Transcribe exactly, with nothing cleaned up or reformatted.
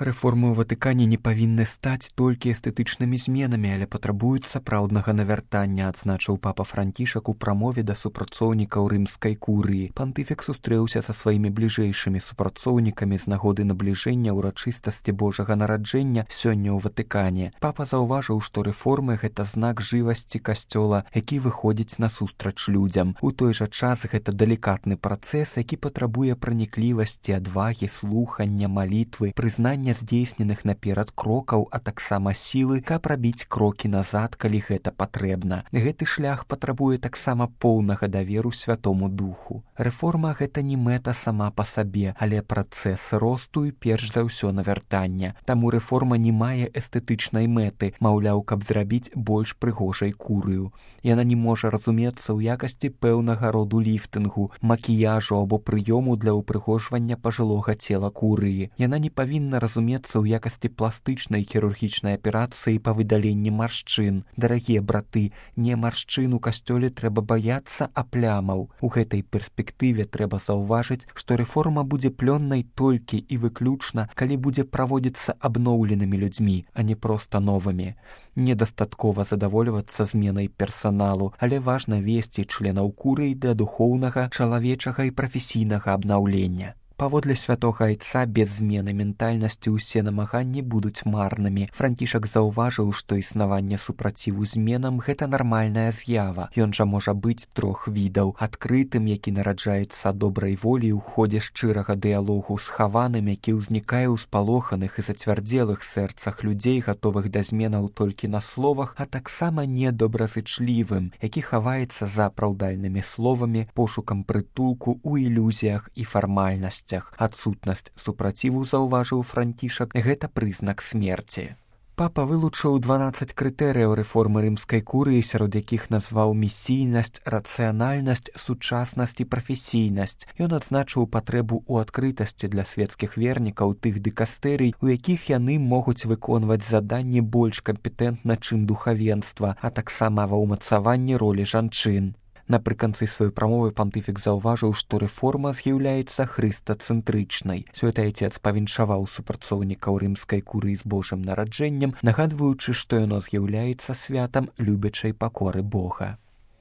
Рэформы ў Ватыкане не павінны стаць толькі эстэтычнымі зменамі, але патрабуюць сапраўднага навяртання, адзначыў папа Францішак у прамове да супрацоўнікаў рымскай курыі. Пантыфік сустрэўся са сваімі бліжэйшымі супрацоўнікамі з нагоды набліжэння ўрачыстасці Божага нараджэння сёння ў Ватыкане. Папа заўважыў, што рэформы — гэта знак жывасці касцёла, які выходзіць насустрач людзям. У той жа час гэта далікатны працэс, які патрабуе праніклівасці, адвагі, слухання, малітвы, прызнання здзейсненых наперад крокаў, а таксама сілы, каб рабіць крокі назад, калі гэта патрэбна. Гэты шлях патрабуе таксама поўнага даверу Святому Духу. Рэформа — гэта не мэта сама па сабе, але працэс росту і перш за ўсё навяртання. Таму рэформа не мае эстэтычнай мэты, маўляў, каб зрабіць больш прыгожай курыю. Яна не можа разумецца ў якасці пэўнага роду ліфтынгу, макіяжу або прыёму для ўпрыгожвання пажылога цела курыі. Яна не павінна разумецца ў якасці пластычнай хірургічнай аперацыі па выдаленні маршчын. Дарагія браты, не маршчын у касцёле трэба баяцца, а плямаў. У гэтай перспектыве трэба заўважыць, што рэформа будзе плённай толькі і выключна, калі будзе праводзіцца абноўленымі людзьмі, а не проста новымі. Недастаткова задавольвацца зменай персаналу, але важна весці членаў курыі да духоўнага, чалавечага і прафесійнага абнаўлення. Паводле святога айца, без змены ментальнасці ўсе намаганні будуць марнымі. Францішак заўважыў, што існаванне супраціву зменам — гэта нармальная з'ява. Ён жа можа быць трох відаў: адкрытым, які нараджаецца добрай волі ў ходзе шчырага дыялогу, схаваным, які ўзнікае ў спалоханых і зацвярдзелых сэрцах людзей, гатовых да зменаў толькі на словах, а таксама недобразычлівым, які хаваецца за апраўдальнымі словамі, пошукам прытулку ў ілюзіях і фармальнасці. Адсутнасць супраціву, заўважыў Францішак, гэта прызнак смерці. Папа вылучыў дванаццаць крытэрыяў рэформы рымскай курыі, сярод якіх назваў місійнасць, рацыянальнасць, сучаснасць і прафесійнасць. Ён адзначыў патрэбу ў адкрытасці для свецкіх вернікаў тых дыкастэрый, у якіх яны могуць выконваць заданні больш кампетэнтна, чым духавенства, а таксама ва ўмацаванні ролі жанчын. Напрыканцы сваёй прамовы пантыфік заўважыў, што рэформа з'яўляецца хрыстацэнтрычнай. Святы Айцец павіншаваў супрацоўнікаў рымскай курыі з Божым нараджэннем, нагадваючы, што яно з'яўляецца святам любячай пакоры Бога.